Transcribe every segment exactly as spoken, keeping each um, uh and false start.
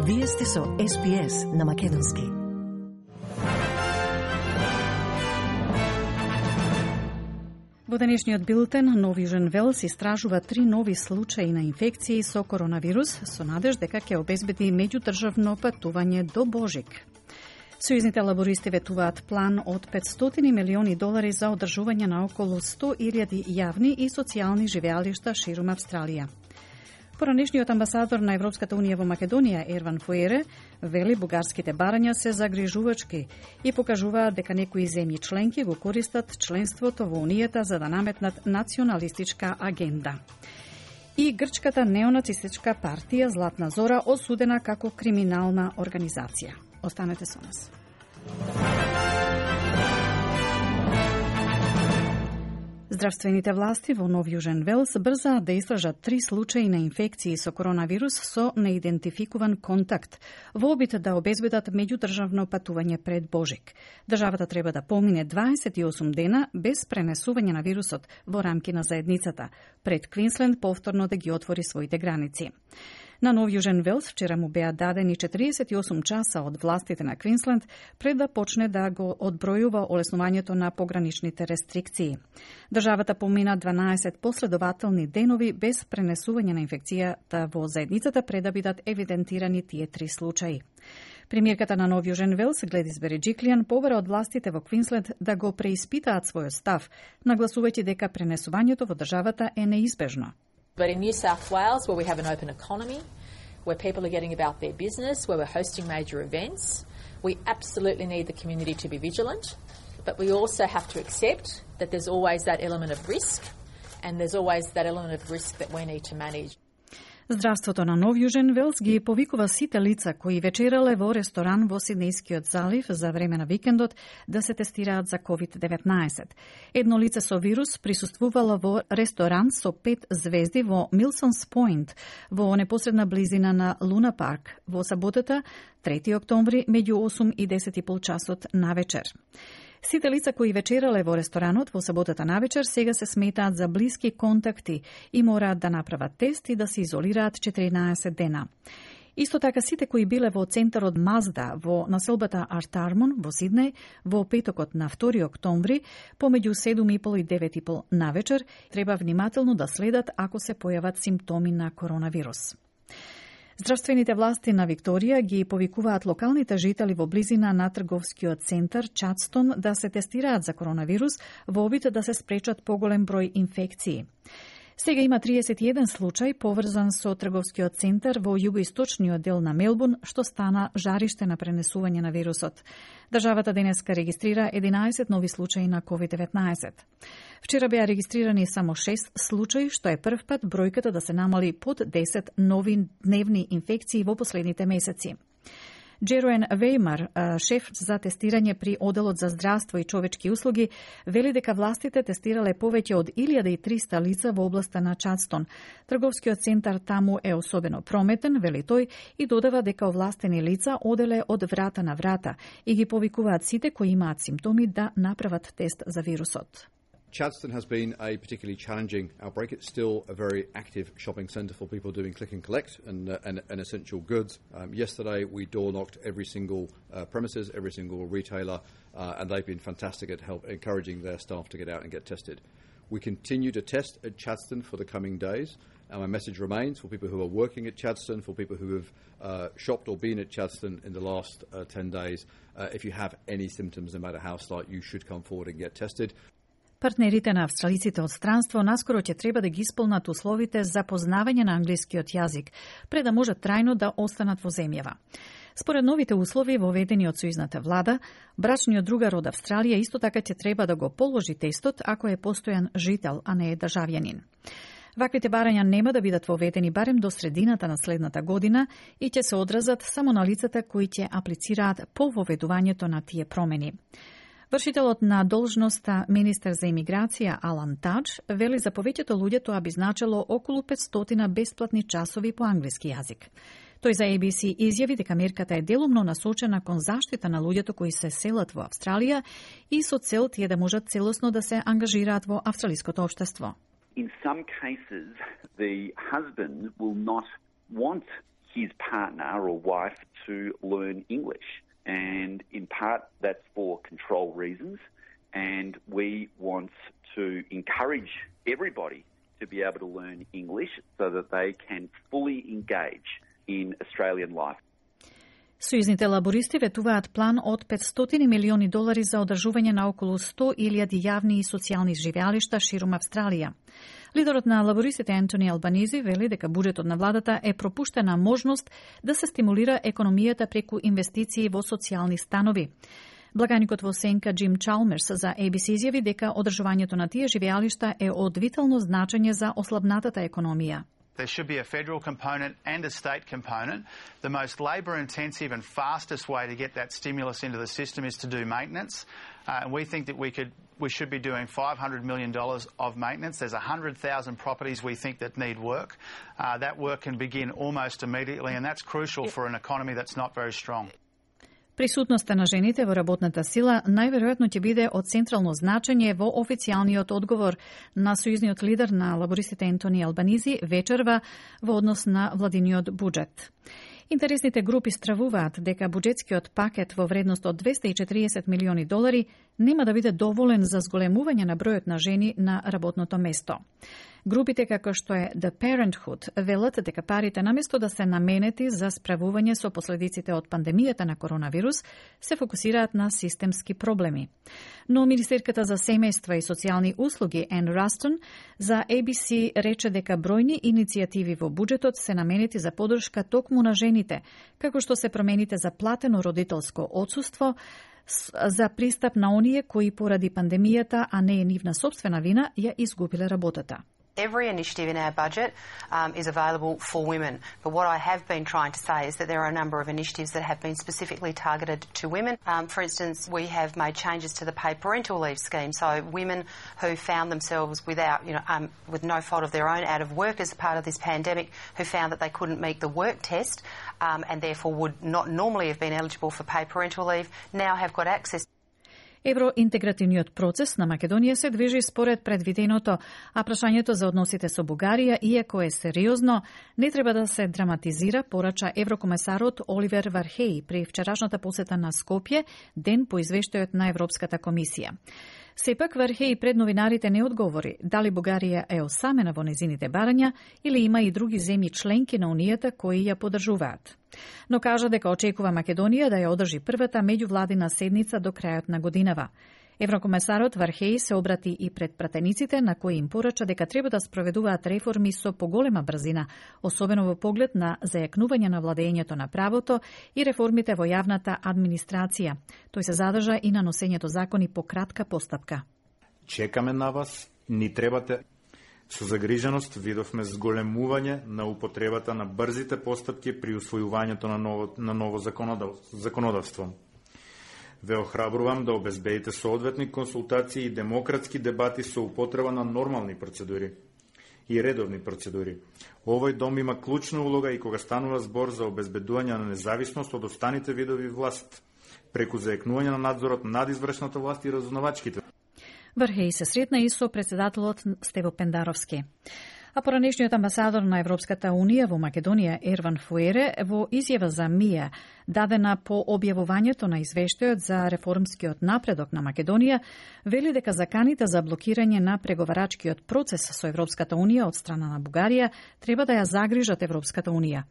Вие сте со Ес Би Ес на Македонски. Во денешниот билтен, Нов Јужен Велс истражува три нови случаи на инфекции со коронавирус со надеж дека ќе обезбеди меѓудржавно патување до Божик. Сојузните лабористи ветуваат план од петстотини милиони долари за одржување на околу сто илјади јавни и социјални живеалишта ширум Австралија. Поранешниот амбасадор на Европската унија во Македонија, Ерван Фуере, вели бугарските барања се загрижувачки и покажуваат дека некои земји членки го користат членството во Унијата за да наметнат националистичка агенда. И грчката неонацистичка партија Златна Зора осудена како криминална организација. Останете со нас. Здравствените власти во Нов Јужен Велс брзаат да истражат три случаи на инфекции со коронавирус со неидентификуван контакт, во обид да обезбедат меѓудржавно патување пред Божик. Државата треба да помине дваесет и осум дена без пренесување на вирусот во рамки на заедницата, пред Квинсленд повторно да ги отвори своите граници. На Нов Јужен Велс вчера му беа дадени четириесет и осум часа од властите на Квинсленд пред да почне да го одбројува олеснувањето на пограничните рестрикции. Државата помина дванаесет последователни денови без пренесување на инфекцијата во заедницата пред да бидат евидентирани тие три случаи. Премиерката на Нов Јужен Велс, Гледис Береџиклијан, побара од властите во Квинсленд да го преиспитаат својот став, нагласувајќи дека пренесувањето во државата е неизбежно. But in New South Wales, where we have an open economy, where people are getting about their business, where we're hosting major events, we absolutely need the community to be vigilant, but we also have to accept that there's always that element of risk, and there's always that element of risk that we need to manage. Здравството на Нов Јужен Велс ги повикува сите лица кои вечерале во ресторан во Сиднејскиот залив за време на викендот да се тестираат за ковид деветнаесет. Едно лице со вирус присуствувало во ресторан со пет звезди во Милсонс Пойнт, во непосредна близина на Луна Парк, во саботата, трети октомври, меѓу осум и десет и пол часот на вечер. Сите лица кои вечерале во ресторанот во саботата навечер сега се сметаат за блиски контакти и мораат да направат тест и да се изолираат четиринаесет дена. Исто така сите кои биле во центарот Мазда во населбата Артармон во Сиднеј во петокот на втори октомври помеѓу седум и пол и девет и пол навечер треба внимателно да следат ако се појават симптоми на коронавирус. Здравствените власти на Викторија ги повикуваат локалните жители во близина на трговскиот центар Чадстон да се тестираат за коронавирус во обид да се спречат поголем број инфекции. Сега има триесет и еден случај поврзан со трговскиот центар во југоисточниот дел на Мелбурн, што стана жариште на пренесување на вирусот. Државата денеска регистрира единаесет нови случаи на ковид деветнаесет. Вчера беа регистрирани само шест случаи, што е прв пат бројката да се намали под десет нови дневни инфекции во последните месеци. Джероен Вејмар, шеф за тестирање при Оделот за здравство и човечки услуги, вели дека властите тестирале повеќе од илјада и триста лица во областа на Чадстон. Трговскиот центар таму е особено прометен, вели тој, и додава дека овластени лица оделе од врата на врата и ги повикуваат сите кои имаат симптоми да направат тест за вирусот. Chadstone has been a particularly challenging outbreak. It's still a very active shopping centre for people doing click and collect and, uh, and, and essential goods. Um, yesterday we door knocked every single uh, premises, every single retailer, uh, and they've been fantastic at help encouraging their staff to get out and get tested. We continue to test at Chadstone for the coming days, and my message remains for people who are working at Chadstone, for people who have uh, shopped or been at Chadstone in the last uh, ten days, uh, if you have any symptoms, no matter how slight, you should come forward and get tested. Партнерите на австралиците од странство наскоро ќе треба да ги исполнат условите за познавање на англискиот јазик, пред да можат трајно да останат во земјава. Според новите услови воведени од сојузната влада, брачниот другар од Австралија исто така ќе треба да го положи тестот ако е постојан жител, а не е државјанин. Ваквите барања нема да бидат воведени барем до средината на следната година и ќе се одразат само на лицата кои ќе аплицираат по воведувањето на тие промени. Вршителот на должноста министер за имиграција Алан Тадж вели за повеќето луѓе тоа би значело околу петстотина бесплатни часови по англиски јазик. Тој за Ей Би Си изјави дека мерката е делумно насочена кон заштита на луѓето кои се селат во Австралија и со цел тие да можат целосно да се ангажираат во австралиското општество. In some cases, the husband will not want his partner or wife to learn English. And in part, that's for control reasons. And we want to encourage everybody to be able to learn English so that they can fully engage in Australian life. Сојузните лабористи ветуваат план од петстотини милиони долари за одржување на околу сто илјади јавни и социјални живеалишта ширум Австралија. Лидерот на лабористите Ентони Албанизи вели дека буџетот на владата е пропуштена можност да се стимулира економијата преку инвестиции во социјални станови. Благаникот во сенка Джим Чалмерс за A B C изјави дека одржувањето на тие живеалишта е од витално значење за ослабнатата економија. There should be a federal component and a state component. The most labour-intensive and fastest way to get that stimulus into the system is to do maintenance. Uh, and we think that we could, we should be doing five hundred million dollars of maintenance. There's one hundred thousand properties we think that need work. Uh, that work can begin almost immediately, and that's crucial for an economy that's not very strong. Присутноста на жените во работната сила најверојатно ќе биде од централно значење во официјалниот одговор на сојузниот лидер на лабористите Ентони Албанизи вечерва во однос на владиниот буџет. Интересните групи стравуваат дека буџетскиот пакет во вредност од двесте и четириесет милиони долари нема да биде доволен за зголемување на бројот на жени на работното место. Групите како што е The Parenthood велат дека парите наместо да се наменети за справување со последиците од пандемијата на коронавирус, се фокусираат на системски проблеми. Но Министерката за семејства и социјални услуги Ен Растон за A B C рече дека бројни иницијативи во буџетот се наменети за поддршка токму на жените, како што се промените за платено родителско отсуство, за пристап на оние кои поради пандемијата, а не е нивна собствена вина, ја изгубиле работата. Every initiative in our budget um, is available for women. But what I have been trying to say is that there are a number of initiatives that have been specifically targeted to women. Um, for instance, we have made changes to the paid parental leave scheme. So women who found themselves without, you know, um, with no fault of their own out of work as part of this pandemic, who found that they couldn't meet the work test um, and therefore would not normally have been eligible for paid parental leave, now have got access. Евроинтегративниот процес на Македонија се движи според предвиденото, а прашањето за односите со Бугарија, иако е сериозно, не треба да се драматизира, порача еврокомесарот Оливер Вархеј при вчерашната посета на Скопје, ден по извештајот на Европската комисија. Сепак Вархеј пред новинарите не одговори дали Бугарија е осамена во незините барања или има и други земји членки на Унијата кои ја поддржуваат. Но кажа дека очекува Македонија да ја одржи првата меѓувладина седница до крајот на годинава. Еврокомесарот Вархеј се обрати и пред пратениците на кои им порача дека треба да спроведуваат реформи со поголема брзина, особено во поглед на зајакнување на владењето на правото и реформите во јавната администрација. Тој се задржа и на носењето закони по кратка постапка. Чекаме на вас, ни требате. Со загриженост видовме зголемување на употребата на брзите постапки при усвојувањето на ново, на ново законодавство. Ве охрабрувам да обезбедите соодветни консултации и демократски дебати со употреба на нормални процедури и редовни процедури. Овој дом има клучна улога и кога станува збор за обезбедување на независност од останите видови власт, преку заекнување на надзорот над извршната власт и разузнавачките. Вархеј се сретна и со председателот Стево Пендаровски. А поранешниот амбасадор на Европската Унија во Македонија Ерван Фуере во изјава за МИА, дадена по објавувањето на извештајот за реформскиот напредок на Македонија, вели дека заканите за блокирање на преговарачкиот процес со Европската Унија од страна на Бугарија треба да ја загрижат Европската Унија.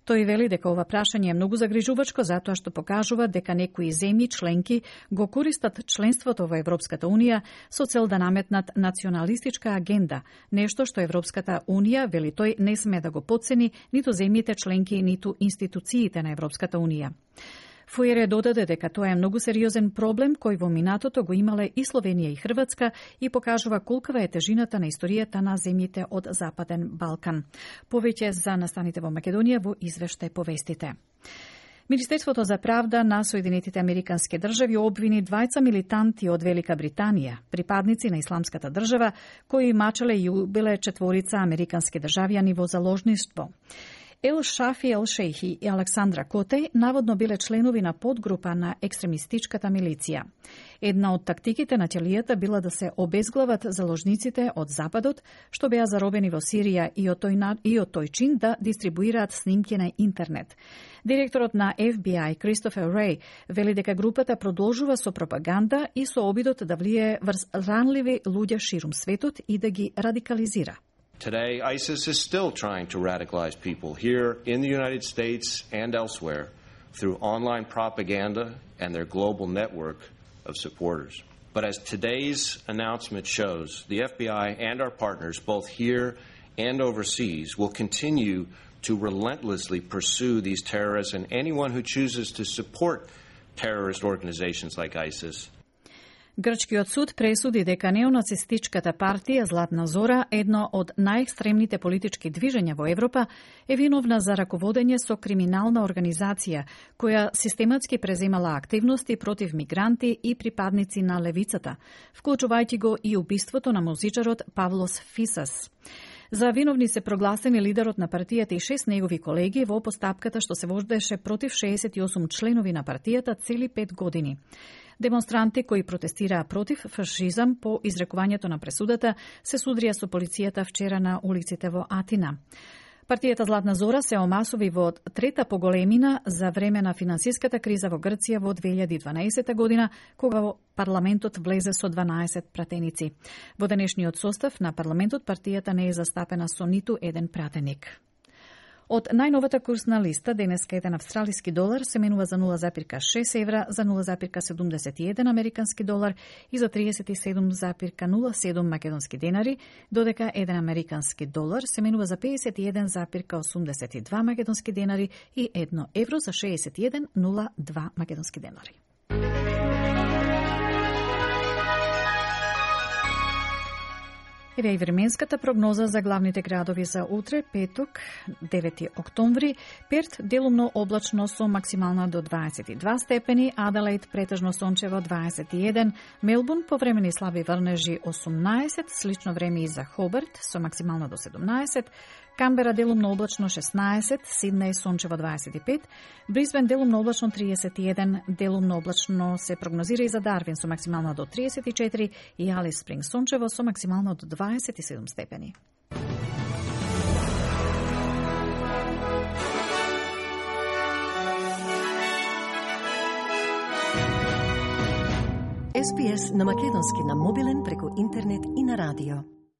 Тој вели дека ова прашање е многу загрижувачко затоа што покажува дека некои земји членки го користат членството во Европската Унија со цел да наметнат националистичка агенда, нешто што Европската Унија, вели тој, не сме да го потцени ниту земјите членки, ниту институциите на Европската Унија. Фуере додаде дека тоа е многу сериозен проблем кој во минатото го имале и Словенија и Хрватска и покажува колкава е тежината на историјата на земјите од Западен Балкан. Повеќе за настаните во Македонија во извештај повестите. Министерството за правда на Соединетите Американски држави обвини двајца милитанти од Велика Британија, припадници на Исламската држава, кои мачале и убиле четворица американски државјани во заложништво. Ел Шафи Ел Шейхи и Александра Котеј наводно биле членови на подгрупа на екстремистичката милиција. Една од тактиките на ќелијата била да се обезглават заложниците од Западот, што беа заробени во Сирија и од тој, и од тој чин да дистрибуираат снимки на интернет. Директорот на Еф Би Ај, Кристофер Реј, вели дека групата продолжува со пропаганда и со обидот да влие врз ранливи луѓе ширум светот и да ги радикализира. Today, ISIS is still trying to radicalize people here in the United States and elsewhere through online propaganda and their global network of supporters. But as today's announcement shows, the F B I and our partners, both here and overseas, will continue to relentlessly pursue these terrorists and anyone who chooses to support terrorist organizations like ISIS. Грчкиот суд пресуди дека неонацистичката партија Златна Зора, едно од најекстремните политички движења во Европа, е виновна за раководење со криминална организација, која систематски преземала активности против мигранти и припадници на левицата, вклучувајќи го и убиството на музичарот Павлос Фисас. За виновни се прогласени лидерот на партијата и шест негови колеги во постапката што се водеше против шеесет и осум членови на партијата цели пет години. Демонстранти кои протестираа против фашизам по изрекувањето на пресудата се судрија со полицијата вчера на улиците во Атина. Партијата Златна Зора се омасови во трета поголемина за време на финансиската криза во Грција во две илјади и дванаесета година, кога во парламентот влезе со дванаесет пратеници. Во денешниот состав на парламентот партијата не е застапена со ниту еден пратеник. Од најновата курсна листа, денеска еден австралиски долар се менува за нула запирка шест евра, за нула запирка седумдесет и еден американски долар и за триесет и седум запирка нула седум македонски денари, додека еден американски долар се менува за педесет и еден запирка осумдесет и два македонски денари и едно евро за шеесет и еден запирка нула два македонски денари. Еве и временската прогноза за главните градови за утре, петок, девети октомври. Перт делумно облачно со максимална до дваесет и два степени, Аделаид претежно сончево дваесет и еден, Мелбурн повремени слаби врнежи осумнаесет, слично време и за Хобарт со максимална до седумнаесет, Камбера делумно облачно шеснаесет, Сиднеј сончево дваесет и пет, Брисбен делумно облачно триесет и еден, делумно облачно се прогнозира и за Дарвин со максимална до триесет и четири и Алис Спринг сончево со максимална до дваесет и седум степени. Ес Би Ес на македонски на мобилен преку интернет и на радио.